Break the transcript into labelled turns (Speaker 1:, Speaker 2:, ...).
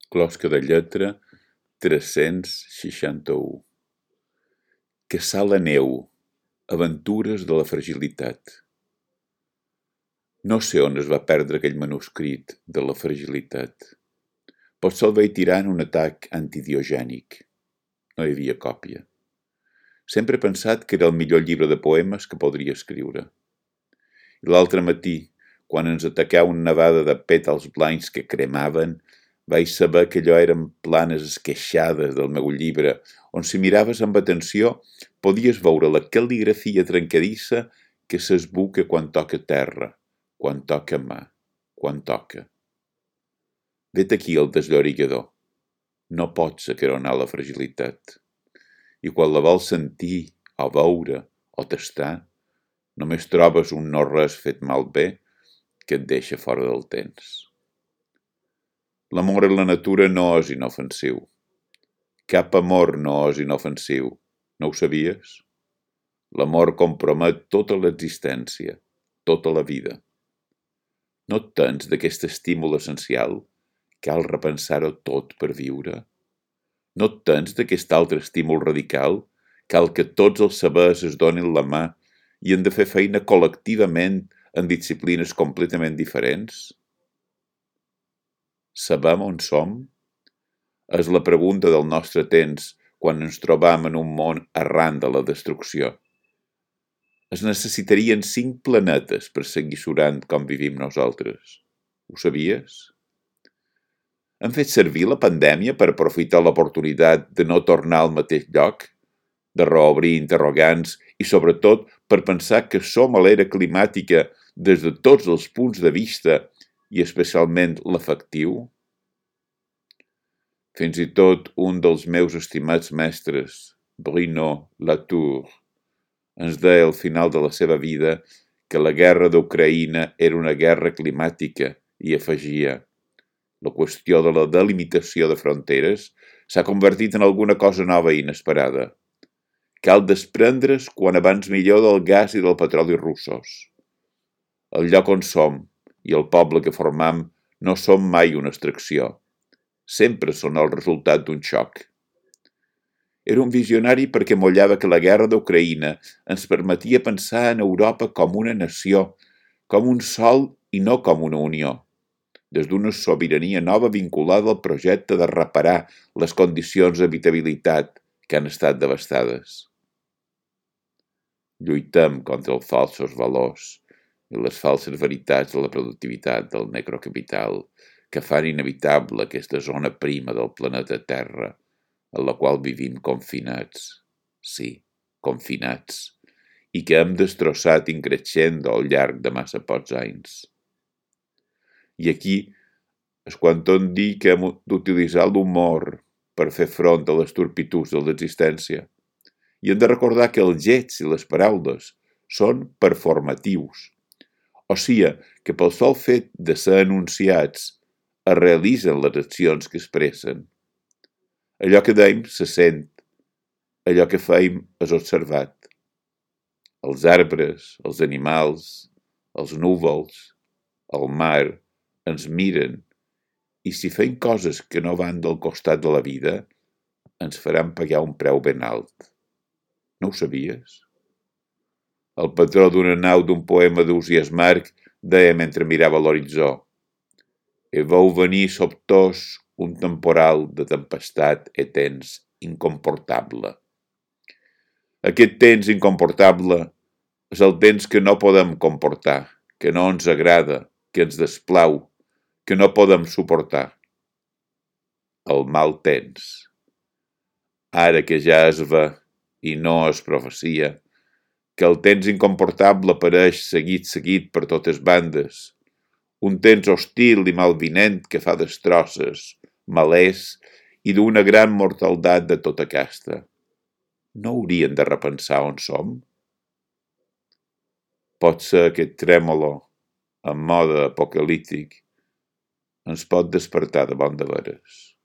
Speaker 1: Closca de lletra 361. Que sala neu, aventures de la fragilitat. No sé on es va perdre aquell manuscrit de la fragilitat. Potser el vaig tirar en un atac antidiogènic. No hi havia còpia. Sempre he pensat que era el millor llibre de poemes que podria escriure. I l'altre matí, quan ens ataquà una nevada de pètals blancs que cremaven, vaig saber que allò eren planes esqueixades del meu llibre, on si miraves amb atenció podies veure la cal·ligrafia trencadissa que s'esbuca quan toca terra, quan toca mà, quan toca. Vet aquí el desllorigador. No pots acaronar la fragilitat. I quan la vols sentir, o veure, o tastar, només trobes un no-res fet malbé que et deixa fora del temps. L'amor en la natura no és inofensiu. Cap amor no és inofensiu. No ho sabies? L'amor compromet tota l'existència, tota la vida. No et tens d'aquest estímul essencial? Cal repensar-ho tot per viure? No et tens d'aquest altre estímul radical? Cal que tots els sabers es donin la mà i hem de fer feina col·lectivament en disciplines completament diferents? Sabem on som? És la pregunta del nostre temps quan ens trobam en un món arran de la destrucció. Es necessitarien 5 planetes per seguir surant com vivim nosaltres. Ho sabies? Hem fet servir la pandèmia per aprofitar l'oportunitat de no tornar al mateix lloc, de reobrir interrogants i, sobretot, per pensar que som a l'era climàtica des de tots els punts de vista i especialment l'afectiu? Fins i tot un dels meus estimats mestres, Bruno Latour, ens deia al final de la seva vida que la guerra d'Ucraïna era una guerra climàtica i afegia: la qüestió de la delimitació de fronteres s'ha convertit en alguna cosa nova i inesperada. Cal desprendre's quan abans millor del gas i del petroli russos. El lloc on som i el poble que formam no som mai una extracció. Sempre són el resultat d'un xoc. Era un visionari perquè mollava que la guerra d'Ucraïna ens permetia pensar en Europa com una nació, com un sol i no com una unió, des d'una sobirania nova vinculada al projecte de reparar les condicions d'habitabilitat que han estat devastades. Lluitem contra els falsos valors i les falses veritats de la productivitat del necrocapital que fan inevitable aquesta zona prima del planeta Terra en la qual vivim confinats, sí, confinats, i que hem destrossat increixendo al llarg de massa pocs anys. I aquí és quan tot dir que hem d'utilitzar l'humor per fer front a les turpituds de l'existència. I hem de recordar que els gets i les paraules són performatius, o sigui que pel sol fet de ser enunciats es realitzen les accions que expressen. Allò que dèiem se sent, allò que feim és observat. Els arbres, els animals, els núvols, el mar ens miren i si fem coses que no van del costat de la vida, ens faran pagar un preu ben alt. No ho sabies? El patró d'una nau d'un poema d'Ausiàs March deia mentre mirava l'horitzó: «E veu venir sobtós un temporal de tempestat e temps incomportable». Aquest temps incomportable és el temps que no podem comportar, que no ens agrada, que ens desplau, que no podem suportar. El mal temps. Ara que ja es ve, i no és profecia, que el temps incomportable apareix seguit per totes bandes, un temps hostil i malvinent que fa destrosses, malers i d'una gran mortaldat de tota casta. No haurien de repensar on som? Potser aquest trèmolo, en mode apocalíptic, ens pot despertar de bon de veres.